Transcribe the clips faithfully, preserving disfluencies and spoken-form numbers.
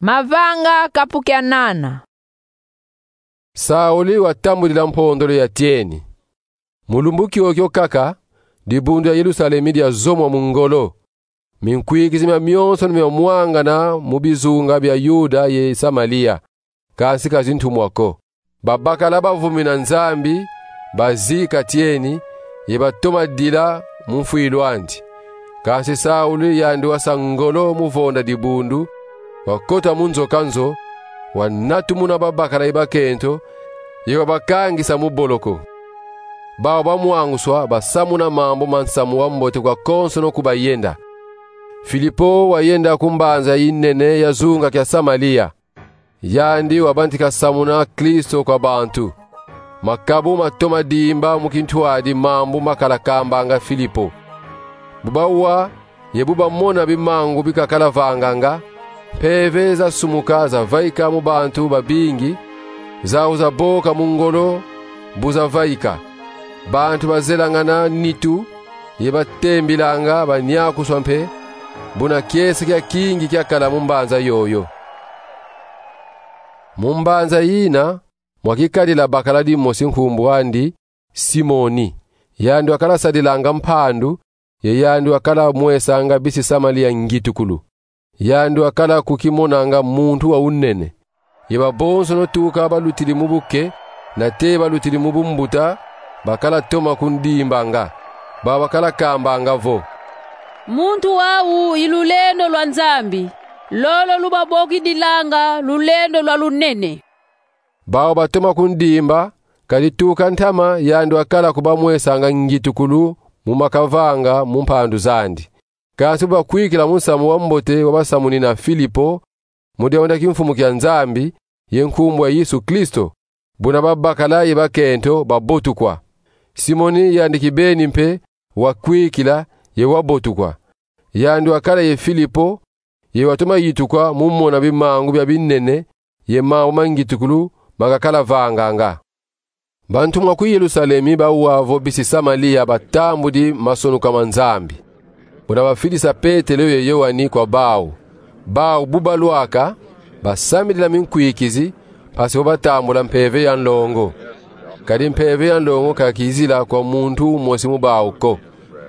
Mavanga kapu kia nana. Sauli watambudila mpondolo ya tieni. Mu lumbu kiokio kaka, dibundu ya Yerusalemi diazomwa mu ngolo. Minkwikizi miamionsono miamwangana mu bizunga bia Yuda ye Samalia, kansi ka zintumwa ko. Babakala bavumi na Nzambi bazika tieni, ye batoma dila mu mfwilu andi. Kansi Sauli yandi wasa ngolo mu vonda dibundu, wakota mu nzo ka nzo, wanatumuna babakala ye bakento, ye wabakangisa mu boloko. Bau bamwanguswa basamuna mambu ma nsamu wa mbote kwa konsono ku bayenda. Filipo wayenda ku mbanza yinene ya zunga kia Samalia. Yandi wabantika samuna Kristo kwa bantu. Makabu matoma dimba mu kintwadi mambu makala kambanga Filipo. Bu bawa ye bu bamona bimangu bikakala vanganga, mpeve zasumuka zavaika mu bantu babingi, zau zaboka mu ngolo bu zavaika. Bantu bazelangana nitu, ye batembilanga banyakuswa mpe, buna kiese kiakingi kiakala mu mbanza yoyo. Mu mbanza yina, mwa kikadila bakala dimosi nkumbu andi Simoni. Yandi wakala sadilanga mpandu, ye yandi wakala mwesanga bisi Samalia ngitukulu. Yandi wakala kukimonanga muntu wa unene. Ye babonsono tuka balutidi mu buke, nate balutidi mu bumbuta, bakala toma kundimbanga. Bau bakala kambanga vo: Muntu wau i lulendo lwa Nzambi, lolo lubabokidilanga lulendo lwa lunene. Bau batoma kundimba, kadi tuka ntama yandi wakala kubamwesanga ngitukulu mu makavanga mu mpandu zandi. Kansi bu bakwikila mu nsamu wa mbote wabasamunina Filipo, mu diambu dia Kimfumu kia Nzambi, ye nkumbu ya Yesu Kristo, buna babakala ye bakento babotukwa. Simoni yandi kibeni mpe wakwikila ye wabotukwa. Yandi wakala ye Filipo, ye watoma yitukwa mu mona bimangu bia binene ye mambu ma ngitukulu makakala vanganga. Bantumwa ku Yerusalemi bawa vo bisi Samalia batambudi masonuka ma Nzambi. Buna bafidisa Petelo ye Yoani kwa bau. Bau bu balwaka, basamidila minkwikizi, mpasi vo batambula mpeve ya nlongo. Kadi mpeve ya nlongo ka kizila kwa muntu umosi mu bau ko.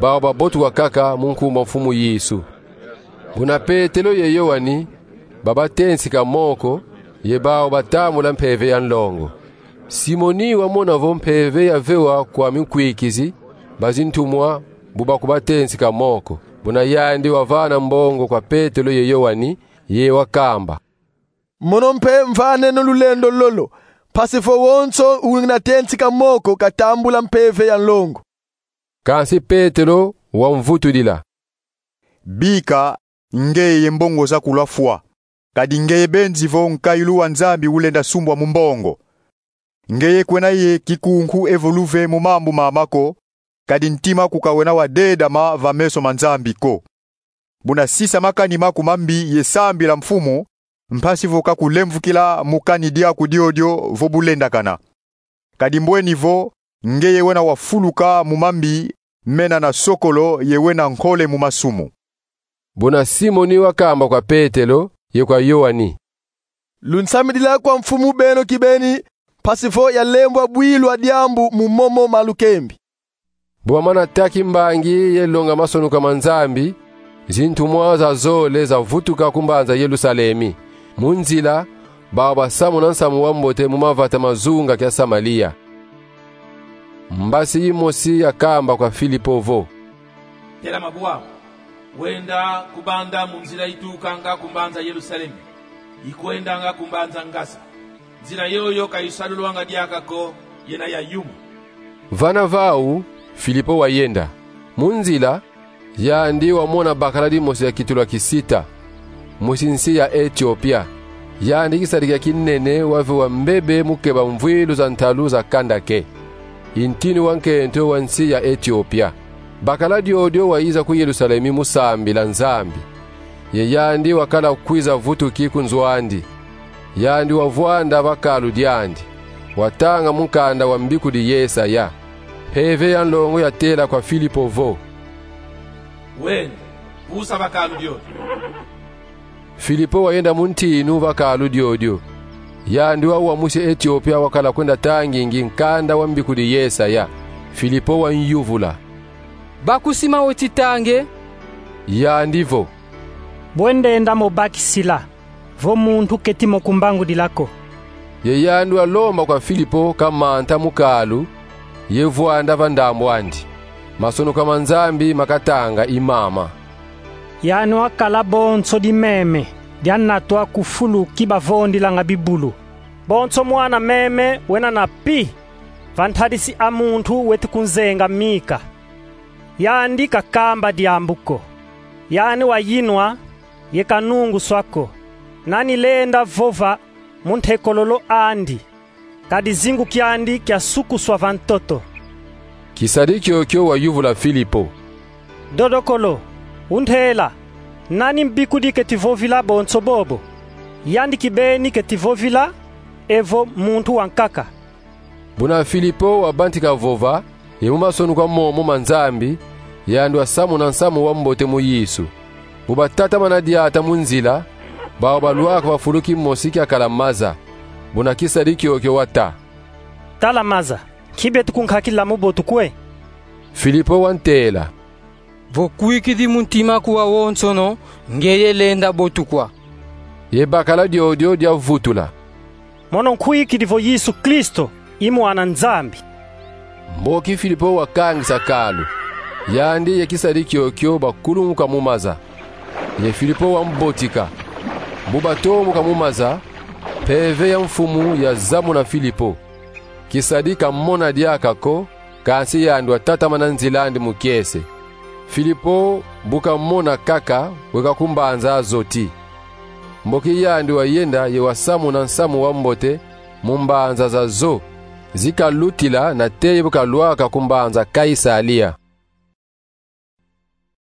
Bau babotukwa kaka mu nkumbu a Mfumu Yesu. Buna Petelo ye Yoani babatensika moko, ye bau batambula mpeve ya nlongo. Simoni wamona vo mpeve yavewa kwa minkwikizi ba zintumwa bu bakubatensika moko. Buna yandi wavana mbongo kwa Petelo ye Yoani, ye wakamba: Mono mpe mvaneno lulendo lolo, mpasi vo wonso unatensika moko katambula mpeve ya nlongo. Kansi Petelo wamvutudila: Bika, ngeye ye mbongo zaku lwafwa, kadi ngeye benzi vo nkayilu wa Nzambi ulenda sumbwa mu mbongo. Ngeye kwena ye kikunku evo luve mu mambu mama ko, kadi ntima ku kawena wa dedama va meso ma Nzambi ko. Buna sisa makani maku mambi ye sambila Mfumu, mpasi vo kakulemvukila mu kani diaku diodio vo bulendakana. Kadi mbweni vo, ngeye wena wafuluka mu mambi mena na sokolo ye wena nkole mu masumu. Buna Simoni wakamba kwa Petelo ye kwa Yoani: Lunsamidila kwa Mfumu beno kibeni, mpasi vo yalembwa bwilu a diambu mu momo ma lukembi. Bu bamana taki mbangi ye longa masonuka ma Nzambi, zintumwa zazole zavutuka ku mbanza Yerusalemi. Mu nzila, bau basamuna nsamu wa mbote mu mavata ma zunga kia Samalia. Mbasi yimosi yakamba kwa Filipo vo: Telama bwau, wenda ku banda mu nzila itukanga ku mbanza Yerusalemi, ikwendanga ku mbanza Ngasa. Nzila yoyo ka isalulwanga diaka ko, yena ya yuma. Vana vau, Filipo wayenda. Mu nzila, yandi wamona bakala dimosi ya kitulu a kisita, musi nsi ya Etiopia. Yandi kisadi kia kinene wavewa mbebe mu keba mvwilu za ntalu za Kandake, i ntinu wa nkento wa nsi ya Etiopia. Bakala diodio wayiza ku Yerusalemi mu sambila Nzambi. Ye yandi wakala kwiza vutuki ku nzo andi. Yandi wavwanda va kalu diandi, watanga mukanda wa mbikudi Yesaya. Mpeve ya nlongo yatela kwa Filipo vo: Wenda, pusa va kalu diodio. Filipo wayenda mu ntinu va kalu diodio. Yandi wau wa musi Etiopia wakala kwenda tangingi nkanda wa mbikudi Yesaya. Filipo wanyuvula: Bakusima weti tange? Yandi vo: Bwe ndenda mo bakisila, vo muntu keti mo kumbangudila ko. Ye yandi walomba kwa Filipo kamanta mu kalu, ye vwanda va ndambu andi. Masonoka ma Nzambi makatanga i mama: Yandi wakala bonso dimeme dianatwa ku fulu ki bavondilanga bibulu. Bonso mwana meme wena na pi va ntadisi a muntu weti kunzenga mika. Yandi kakamba diambu ko. Yandi wayinwa ye kanunguswa ko. Nani lenda vova mu ntekololo andi, kadi zingu kiandi kiasukuswa va ntoto. Kisadi kiokio wayuvula Filipo: Dodokolo, untela, nani mbikudi keti vovila bonso bobo? Yandi kibeni keti vovila, evo muntu wankaka. Buna Filipo wabantika vova, ye mu masonoka momo ma Nzambi, yandi wasamuna nsamu wa mbote mu Yesu. Bu batatamana diata mu nzila, bau balwaka va fulu kimosi kiakala maza. Buna kisadi kiokio wata: Tala maza, nki beti kunkakila mu botu kwe? Filipo wantela: Vo kwikidi mu ntima aku wawonsono, ngeye lenda botukwa. Ye bakala diodio diavutula: Mono nkwikidi vo Yesu Kristo i Mwana Nzambi. Mboki Filipo wakangisa kalu, yandi ye kisadi kiokio bakulumuka mu maza. Ye Filipo wambotika. Bu batombuka mu maza, Mpeve ya Mfumu yazamuna Filipo. Kisadi kamona diaka ko, kansi yandi watatamana nzila andi mu kiese. Filipo bu kamona kaka, weka ku mbanza Azoti. Mboki yandi wayenda ye wasamuna nsamu wa mbote mu mbanza zazo zikalutila nate ye bu kalwaka ku mbanza Kaisalia.